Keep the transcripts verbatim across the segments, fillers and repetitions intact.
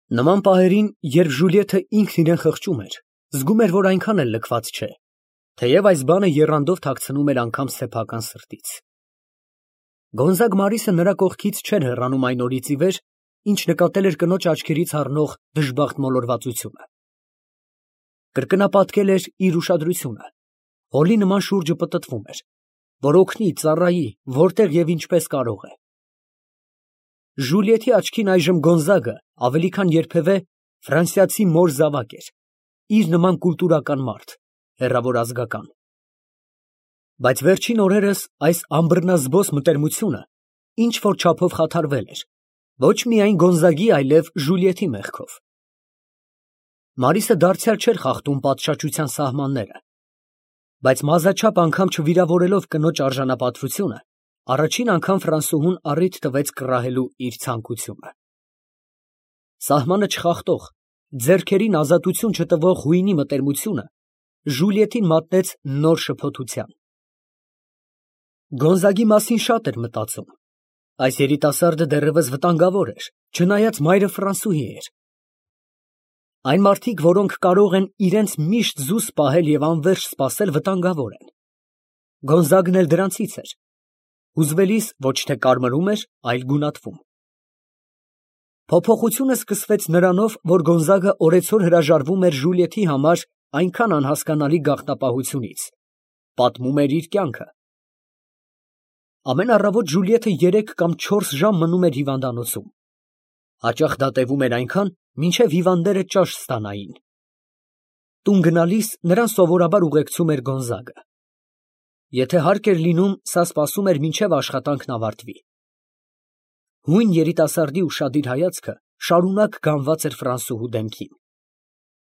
Նման պահերին, երբ Ժուլիետը ինքն իրան խղճում էր, զգում էր, որ այնքան էլ լքված չէ, թեև այս բանը եռանդով թաքցնում էր անգամ սեփական սրտից։ Գոնզագ Մարիսը նրա կողքից չէր հեռանում այն օրից ի վեր, ինչ նկատել էր կնոջ աչքերից հառնող դժբախտ մոլորվածությունը։ Կրկնապատկել էր իր ուշադրությունը, հոլի նման շուրջը պտտվում էր, որ օգնի, ծառայի, որտեղ և ինչպես կարող է։ Ժուլիետի աչքին այժմ Գոնզագը ավելի քան երբևէ ֆրանսիացի մոր զավակ էր, իր նման կուլտուրական մարդ, հեռավոր ազգական։ Բայց վերջին օրերս այս անբռնազբոս մտերմությունը ինչ֊որ չափով խաթարվել էր, ոչ միայն Գոնզագի, այլև Ժուլիետի մեղքով։ Մարիսը դարձյալ չէր խախտում պատշաճության սահմանները, բայց մազաչափ անգամ չվիրավորելով կնոջ արժանապատվությունը, առաջին անգամ Ֆրանսուհուն առիթ տվեց կռահելու իր ցանկությունը։ Սահմանը չխախտող, ձեռքերին ազատություն չտվող հույնի մտերմությունը Ժուլիետին մատնեց նոր շփոթության։ Գոնզագի մասին շատ էր մտածում։ Այս երիտասարդը դեռևս վտանգավոր էր, չնայած մայրը ֆրանսուհի էր։ Այն մարդիկ, որոնք կարող են իրենց միշտ զուս պահել և անվերջ սպասել, վտանգավոր են։ Գոնզագն էլ դրանցից էր։ Հուզվելիս ոչ թե կարմրում էր, այլ գունատվում։ Փոփոխությունը սկսվեց նրանով, որ Գոնզագը օրեցօր հրաժարվում էր Ժուլիետի համար այնքան անհասկանալի գաղտնապահությունից, պատմում էր իր կյանքը։ Ամեն առավոտ Ժուլիետը երեք կամ չորս ժամ մնում էր հիվանդանոցում։ Հաճախ դա տևում էր այնքան, մինչև հիվանդները ճաշ ստանային։ Տուն գնալիս նրան սովորաբար ուղեկցում էր Գոնզագը։ Եթե հարկ էր լինում, սա սպասում էր, մինչև աշխատանքն ավարտվի։ Հույն երիտասարդի ուշադիր հայացքը շարունակ գանված էր Ֆրանսուհու դեմքին։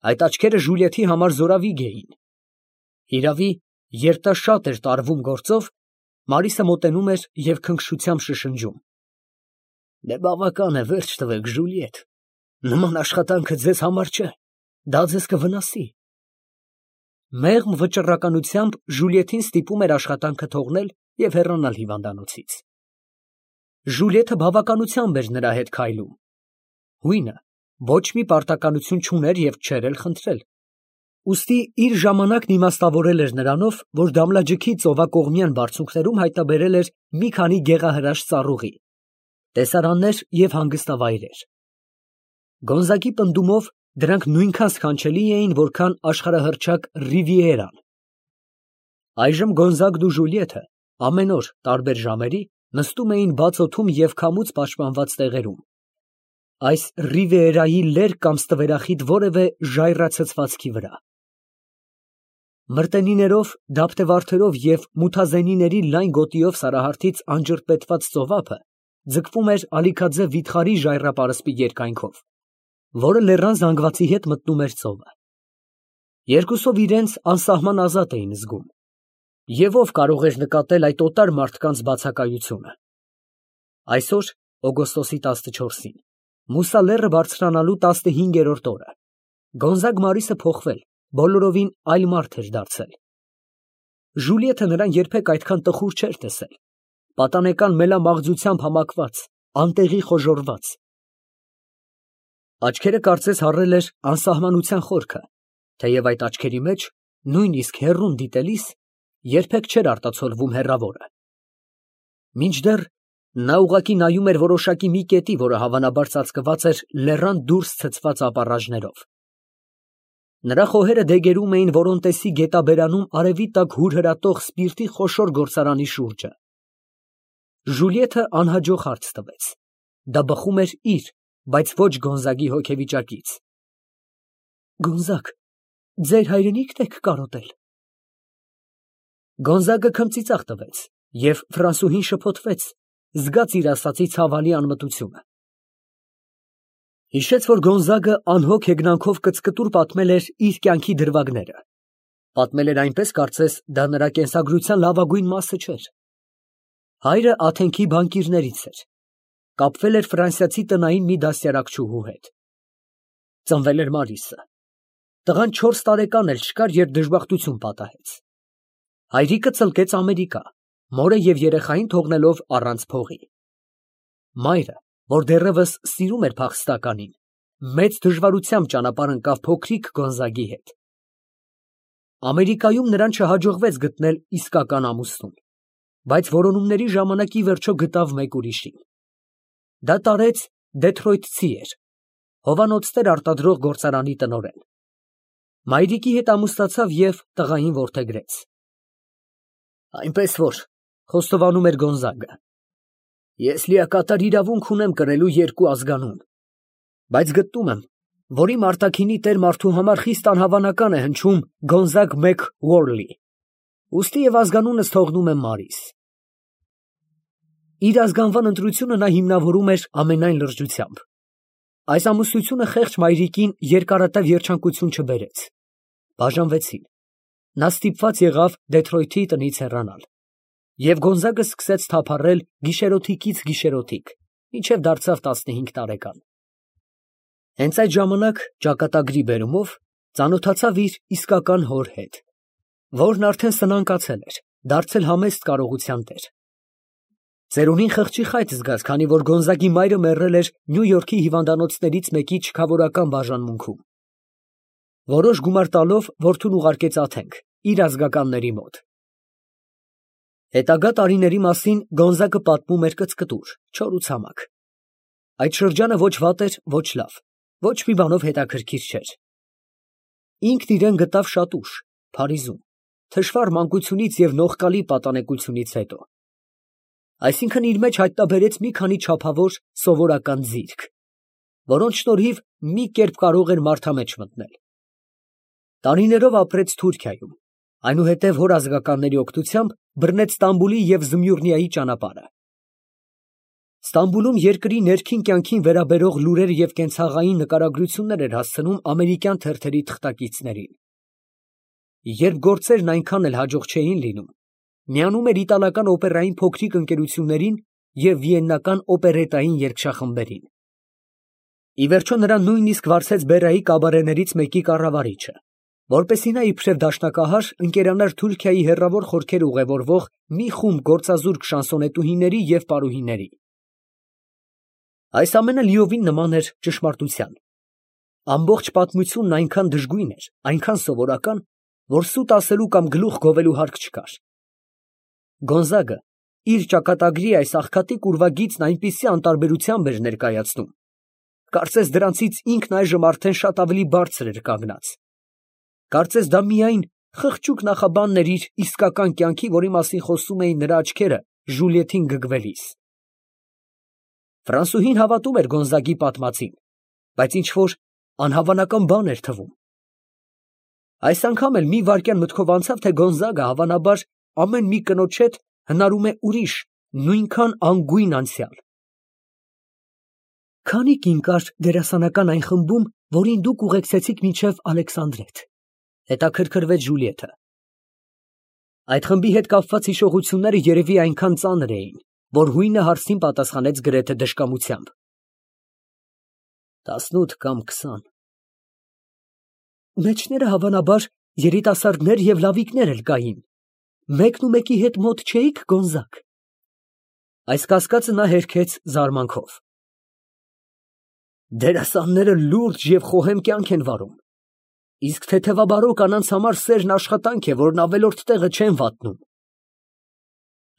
Այդ աչքերը Ժուլիետի համար զորավիգ էին։ Հիրավի, երբ նա շատ էր տարվում գործով, Մարիսը մոտենում էր և քնքշությամբ շշնջում. «Դե բավական է, վերջ տվեք, Ժուլիետ, նման աշխատանքը ձեզ համար չէ, դա ձեզ կվնասի»։ Մեղմ վճռականությամբ Ժուլիետին ստիպում էր աշխատանքը թողնել և հեռանալ հիվանդանոցից։ Ժուլիետը բավականությամբ էր նրա հետ քայլում։ Հույնը ոչ մի պարտականություն չուներ և չէր էլ խնդրել։ Ուստի իր ժամանակն իմաստավորել էր նրանով, որ Դամլաջքի ծովակողմյան բարձունքներում հայտնաբերել էր մի քանի գեղահրաշ ծառուղի, տեսարաններ և հանգստավայրեր։ Գոնզագի պնդումով դրանք նույնքան սքանչելի էին, որքան աշխարհահռչակ Ռիվիերան։ Այժմ Գոնզագն ու Ժուլիետը ամեն օր տարբեր ժամերի նստում էին բաց օդում և քամուց պաշտպանված տեղերում, այս Ռիվիերայի լերկ կամ ստվերախիտ որևէ ժայռացցվածքի վրա։ Մրտենիներով, դափտեվարդերով և մութազենիների լայն գոտիով Սարահարթից անջրպետված ծովափը ձգվում էր ալիքաձև վիթխարի ժայռապարսպի երկայնքով, որը լեռան զանգվածի հետ մտնում էր ծովը։ Երկուսով իրենց անսահման ազատ էին զգում։ Եվ ով կարող էր նկատել այդ օտար մարդկանց բացակայությունը։ Այսօր, օգոստոսի տասնչորսին, Մուսա լեռը բարձրանալու տասնհինգերորդ օրը, Գոնզագ Մարիսը փոխվել, բոլորովին այլ մարդ էր դարձել։ Ժուլիետը նրան երբեք այդքան տխուր չէր տեսել, պատանեկան մելամաղձությամբ համակված, անտեղի խոժոռված։ Աչքերը կարծես հառել էր անսահմանության խորքը, թեև այդ աչքերի մեջ, նույնիսկ հեռուն դիտելիս, երբեք չէր արտացոլվում հեռավորը։ Մինչդեռ նա ուղղակի նայում էր որոշակի մի կետի, որը հավանաբար ծածկված էր լեռան դուրս ցցված ապառաժներով։ Նրա խոհերը դեգերում էին Որոնտեսի գետաբերանում արևի տակ հուրհրատող սպիրտի խոշոր գործարանի շուրջը։ Ժուլիետը անհաջող հարց տվեց. դա բխում էր իր, բայց ոչ Գոնզագի հոգեվիճակից։ Գոնզագ, ձեր հայրենի՞քն եք կարոտել։ Գոնզագը քմծիծաղ տվեց, և ֆրանսուհին շփոթվեց, զգաց իր ասածի ցավալի անմտությունը։ Հիշեց, որ Գոնզագը անհոգ հեգնանքով կծկտուր պատմել էր իր կյանքի դրվագները։ Պատմել էր այնպես, կարծես դա նրա կենսագրության լավագույն մասը չէր։ Հայրը Աթենքի բանկիրներից էր։ Կապվել էր ֆրանսիացի տնային մի դաստիարակչուհու հետ։ Ծնվել էր Մարիսը։ Տղան չորս տարեկան էլ չկար, երբ դժբախտություն պատահեց։ Հայրիկը ծլկեց Ամերիկա, մորը և երեխային թողնելով առանց փողի։ Մայրը, որ դեռևս սիրում էր փախստականին, մեծ դժվարությամբ ճանապարհ ընկավ փոքրիկ Գոնզագի հետ։ Ամերիկայում նրան չհաջողվեց գտնել իսկական ամուսնուն, բայց որոնումների ժամանակ ի վերջո գտավ մեկ ուրիշին։ Դա տարեց դեթրոյթցի էր, հովանոցներ արտադրող գործարանի տնօրեն։ Մայրիկի հետ ամուսնացավ և տղային որդեգրեց։ Այնպես որ, խոստովանում էր Գոնզագը, ես լիակատար իրավունք ունեմ կրելու երկու ազգանուն, բայց գտնում եմ, որ իմ արտաքինի տեր մարդու համար խիստ անհավանական է հնչում Գոնզագ մեկ Ուորլի, ուստի և ազգանունս թողնում եմ Մարիս։ Իր ազգանվան ընտրությունը նա հիմնավորում էր ամենայն լրջությամբ։ Այս ամուսնությունը խեղճ մայրիկին երկարատև երջանկություն չբերեց։ Բաժանվեցին։ Նա ստիպված եղավ Դեթրոյթի տնից հեռանալ։ Եվ Գոնզագը սկսեց թափառել գիշերօթիկից գիշերօթիկ, մինչև դարձավ տասնհինգ տարեկան։ Հենց այդ ժամանակ ճակատագրի բերումով ծանոթացավ իր իսկական հոր հետ, որն արդեն սնանկացել էր, դարձել համեստ կարողության տեր։ Ծերունին խղճի խայտ զգաց, քանի որ Գոնզագի մայրը մեռել էր Նյու Յորքի հիվանդանոցներից մեկի չքավորական բաժանմունքում։ Որոշ գումար տալով որդուն ուղարկեց Աթենք, իր ազգականների մոտ։ Հետագա տարիների մասին Գոնզագը պատմում էր կծկտուր, չոր ու ցամաք։ Այդ շրջանը ոչ վատ էր, ոչ լավ, ոչ մի բանով հետաքրքիր չէր։ Ինքն իրեն գտավ շատ ուշ, Փարիզում, թշվառ մանկությունից և նողկալի պատանեկությունից հետո։ Այսինքն իր մեջ հայտնաբերեց մի քանի չափավոր սովորական ձիրք, որոնց շնորհիվ մի կերպ կարող էր մարդամեջ մտնել։ Տարիներով ապրեց Թուրքիայում, այնուհետև հոր ազգականների օգնությամբ բռնեց Ստամբուլի և Զմյուռնիայի ճանապարհը։ Ստամբուլում երկրի ներքին կյանքին վերաբերող լուրեր և կենցաղային նկարագրություններ էր հասցնում ամերիկյան թերթերի թղթակիցներին։ Երբ գործերն այնքան էլ հաջող չէին լինում, միանում էր իտալական օպերային փոքրիկ ընկերություններին և վիեննական օպերետային երգչախմբերին։ Ի վերջո նրան նույնիսկ վարձեց Բերայի կաբարեներից մեկի կառավարիչը, որպեսզի նա իբրև դաշնակահար ընկերանար Թուրքիայի հեռավոր խորքեր ուղևորվող մի խումբ գործազուրկ շանսոնետուհիների և պարուհիների։ Այս ամենը լիովին նման էր ճշմարտության։ Ամբողջ պատմությունն այնքան դժգույն էր, այնքան սովորական, որ սուտ ասելու կամ գլուխ գովելու հարկ չկար։ Գոնզագը իր ճակատագրի այս աղքատիկ ուրվագիծն այնպիսի անտարբերությամբ էր ներկայացնում, կարծես դրանցից ինքն այժմ արդեն շատ ավելի բարձր էր կանգնած։ Կարծես դա միայն խղճուկ նախաբանն էր իր իսկական կյանքի, որի մասին խոսում էին նրա աչքերը Ժուլիետին գգվելիս։ Ֆրանսուհին հավատում էր Գոնզագի պատմածին, բայց ինչ֊որ անհավանական բան էր թվում։ Այս անգամ էլ մի վայրկյան մտքով անցավ, թե Գոնզագը հավանաբար ամեն մի կնոջ հետ հնարում է ուրիշ, նույնքան անգույն անցյալ։ Քանի՞ կին կար դերասանական այն խմբում, որին դուք ուղեկցեցիք մինչև Ալեքսանդրետ, հետաքրքրվեց Ժուլիետը։ Այդ խմբի հետ կապված հիշողությունները երևի այնքան ծանր էին, որ հույնը հարցին պատասխանեց գրեթե դժկամությամբ։ Տասնութ կամ քսան։ Մեջները հավանաբար երիտասարդներ և լավիկներ էլ կային։ Մեկն ու մեկի հետ մոտ չէի՞ք, Գոնզագ։ Այս կասկածը նա հերքեց զարմանքով։ Դերասանները լուրջ և խոհեմ կյանք են վարում, իսկ թեթևաբարո կանանց համար սերն աշխատանք է, որն ավելորդ տեղը չեն վատնում։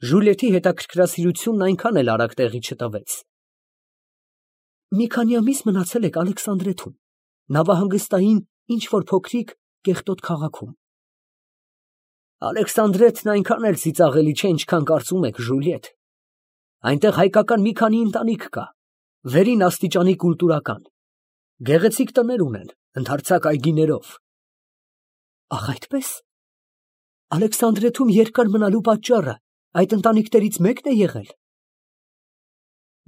Ժուլիետի հետաքրքրասիրությունն այնքան էլ արագ տեղի չտվեց։ Մի քանի ամիս մնացել եք Ալեքսանդրեթում, նավահանգստային ինչ֊որ փոքրիկ կեղտոտ քաղաքում։ Ալեքսանդրետն այնքան էլ ծիծաղելի չէ, ինչքան կարծում եք, Ժուլիետ։ Այնտեղ հայկական մի քանի ընտանիք կա, վերին աստիճանի կուլտուրական, գեղեցիկ տներ ունեն, ընդարձակ այգիներով։ Ախ, այդպե՞ս։ Ալեքսանդրեթում երկար մնալու պատճառը այդ ընտանիքներից մեկն է եղել։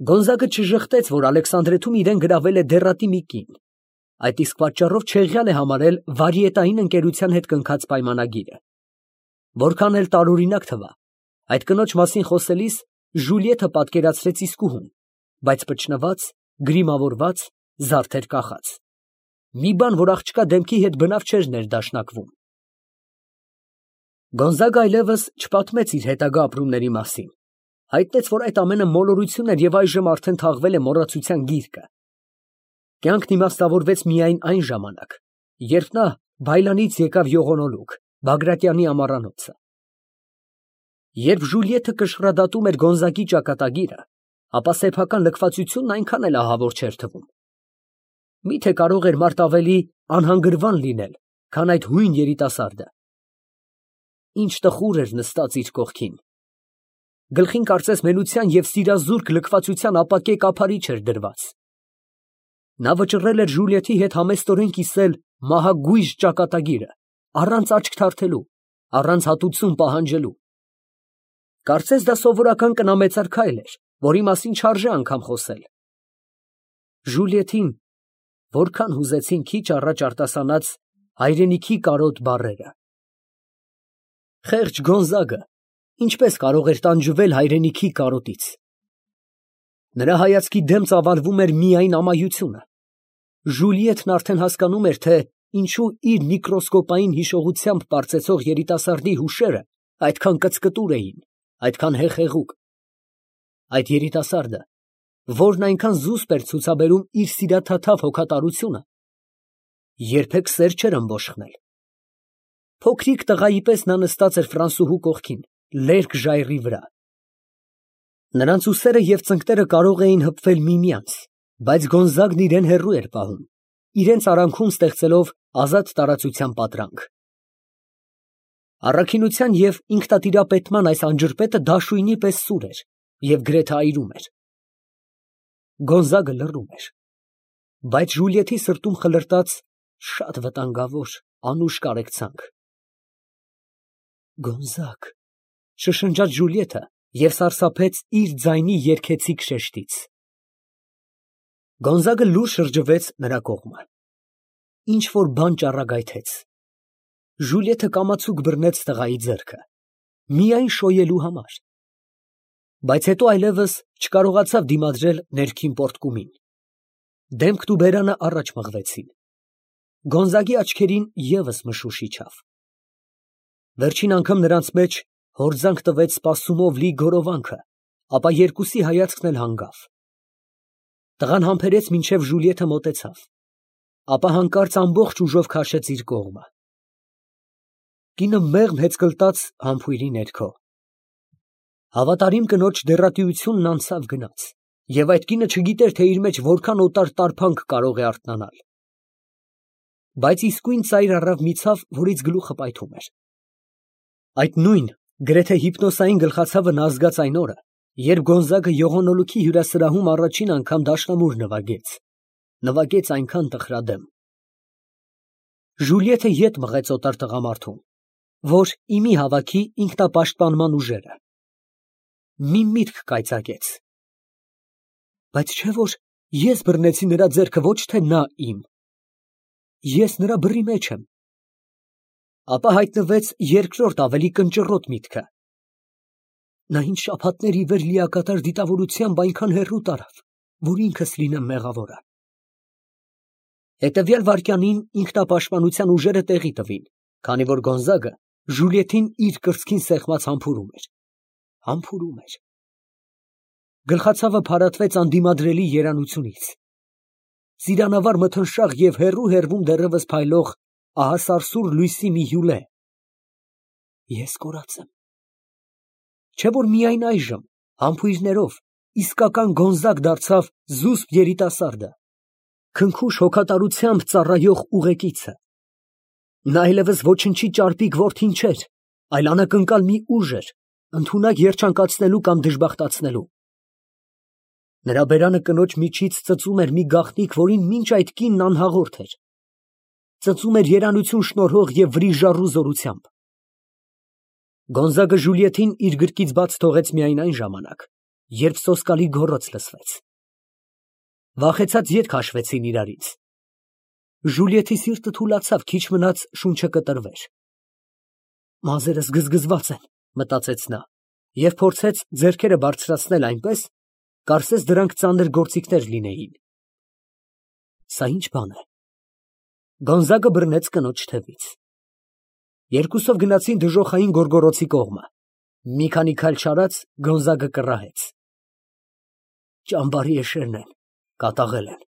Գոնզագը չժխտեց, որ Ալեքսանդրեթում իրեն գրավել է դեռատի մի կին, այդ իսկ պատճառով չեղյալ է համարել վարիետային ընկերության հետ կնքած պայմանագիրը։ Որքան էլ տարօրինակ թվա, այդ կնոջ մասին խոսելիս Ժուլիետը պատկերացրեց իսկուհուն, բայց փչնված, գրիմավորված, զարդեր կախած։ Մի բան, որ աղջկա դեմքի հետ բնավ չէր ներդաշնակվում։ Գոնզագը այլևս չպատմեց իր հետագա ապրումների մասին, հայտնեց, որ այդ ամենը մոլորություն էր և այժմ արդեն թաղվել է մոռացության գիրկը։ Կյանքն իմաստավորվեց միայն այն ժամանակ, երբ նա Բայլանից եկավ յողոնոլուկ, Բագրատյանի ամառանոցը։ Երբ Ժուլիետը կշռադատում էր Գոնզագի ճակատագիրը, ապա սեփական լքվածությունն այնքան էլ ահավոր չէր թվում։ Միթե կարող էր մարդ ավելի անհանգրվան լինել, քան այդ հույն երիտասարդը։ Ինչ տխուր էր նստած իր կողքին։ Գլխին կարծես մենության և սիրազուրկ լքվածության ապակե կափարիչ էր դրված։ Նա վճռել էր Ժուլիետի հետ համեստորեն կիսել մահագույժ ճակատագիրը, առանց աչք թարթելու, առանց հատուցում պահանջելու։ Կարծես դա սովորական կնամեծար քայլ էր, որի մասին չարժե անգամ խոսել։ Ժուլիետին որքան հուզեցին քիչ առաջ արտասանած հայրենիքի կարոտ բառերը։ Խեղճ Գոնզագը ինչպես կարող էր տանջվել հայրենիքի կարոտից։ Նրա հայացքի դեմ ծավալվում էր միայն ամայությունը։ Ժուլիետն արդեն հասկանում էր, թե ինչու իր միկրոսկոպային հիշողությամբ պարծեցող երիտասարդի հուշերը այդքան կծկտուր էին, այդքան հեխեղուկ։ Այդ երիտասարդը, որն այնքան զուսպ էր ցուցաբերում իր սիրաթաթավ հոգատարությունը, երբեք սեր չէր ըմբոշխնել։ Փոքրիկ տղայի պես նա նստած էր Ֆրանսուհու կողքին, լերկ ժայռի վրա։ Նրանց ուսերը և ծնկները կարող էին հպվել միմյանց, բայց Գոնզագն իրան հեռու էր պահում, իրենց արանքում ստեղծելով ազատ տարածության պատրանք։ Առաքինության և ինքնատիրապետման այս անջրպետը դաշույնի պես սուր էր և գրեթե այրում էր։ Գոնզագը լռում էր, բայց Ժուլիետի սրտում խլրտաց շատ վտանգավոր, անուշ կարեկցանք։ Գոնզագ, շշնջաց Ժուլիետը և սարսափեց իր ձայնի երգեցիկ շեշտից։ Գոնզագը լուր շրջվեց նրա կողմը։ Ինչ֊որ բան ճառագայթեց։ Ժուլիետը կամացուկ բռնեց տղայի ձեռքը, միայն շոյելու համար, բայց հետո այլևս չկարողացավ դիմադրել ներքին պոռթկումին։ Դեմքն ու բերանը առաջ մղվեցին։ Գոնզագի աչքերին ևս մշուշ իջավ։ Վերջին անգամ նրանց մեջ հորձանք տվեց սպասումով լի գորովանքը, ապա երկուսի հայացքն էլ հանգավ։ Տղան համբերեց, մինչև Ժուլիետը մոտեցավ, ապա հանկարծ ամբողջ ուժով քաշեց իր կողմը։ Կինը մեղմ հեծկլտաց համբույրի ներքո։ Հավատարիմ կնոջ դեռատիությունն անցավ գնաց, և այդ կինը չգիտեր, թե իր մեջ որքան օտար տարփանք կարող է արթնանալ։ Բայց իսկույն ծայր առավ մի ցավ, որից գլուխը պայթում էր։ Այդ նույն գրեթե հիպնոսային գլխացավը նա զգաց այն օրը, երբ Գոնզագը յողոնոլուքի հյուրասրահում առաջին անգամ դաշնամուր նվագեց, նվագեց այնքան տխրադեմ։ Ժուլիետը ետ մղեց օտար տղամարդուն, որ իմի հավաքի ինքնապաշտպանման ուժերը։ Մի միտք կայծակեց. բայց չէ՞ որ ես բռնեցի նրա ձեռքը, ոչ թե նա իմ։ Ես նրա բռի մեջ եմ։ Ապա հայտնվեց երկրորդ ավելի կնճռոտ միտքը. նա ինձ շաբաթներ ի վեր լիակատար դիտավորությամբ այնքան հեռու տարավ, որ ինքս լինեմ մեղավորը։ Հետևյալ վայրկյանին ինքնապաշտպանության ուժերը տեղի տվին, քանի որ Գոնզագը Ժուլիետին իր կրծքին սեղմած համբուրում էր, համբուրում էր։ Գլխացավը փարատվեց անդիմադրելի երանությունից։ Ծիրանավար մթնշաղ և հեռու֊հեռվում դեռևս փայլող ահասարսուռ լույսի մի հյուլե։ Ես կորած եմ։ Չէ՞ որ միայն այժմ, համբույրներով, իսկական Գոնզագ դարձավ զուսպ երիտասարդը, քնքուշ հոգատարությամբ ծառայող ուղեկիցը։ Նա այլևս ոչնչի ճարպիկ որդին չէր, այլ անակնկալ մի ուժ էր, ընդունակ երջանկացնելու կամ դժբախտացնելու։ Նրա բերանը կնոջ միջից ծծում էր մի գաղտնիք, որին մինչ այդ կինն անհաղորդ էր։ Ծծում էր երանություն շնորհող և վրիժառու զորությամբ։ Գոնզագը Ժուլիետին իր գրկից բաց թողեց միայն այն ժամանակ, երբ սոսկալի գոռոց լսվեց։ Վախեցած ետ քաշվեցին իրարից։ Ժուլիետի սիրտը թուլացավ, քիչ մնաց շունչը կտրվեր։ Մազերս գզգզված են, մտածեց նա, և փորձեց ձեռքերը բարձրացնել այնպես, կարծես դրանք ծանր գործիքներ լինեին։ Սա ի՞նչ բան է։ Գոնզագը բռնեց կնոջ թևից։ Երկուսով գնացին դժոխային գորգոռոցի կողմը։ Մի քանի քայլ չարած Գոնզագը կռահեց. ճամբարի էշերն են, կատաղել են։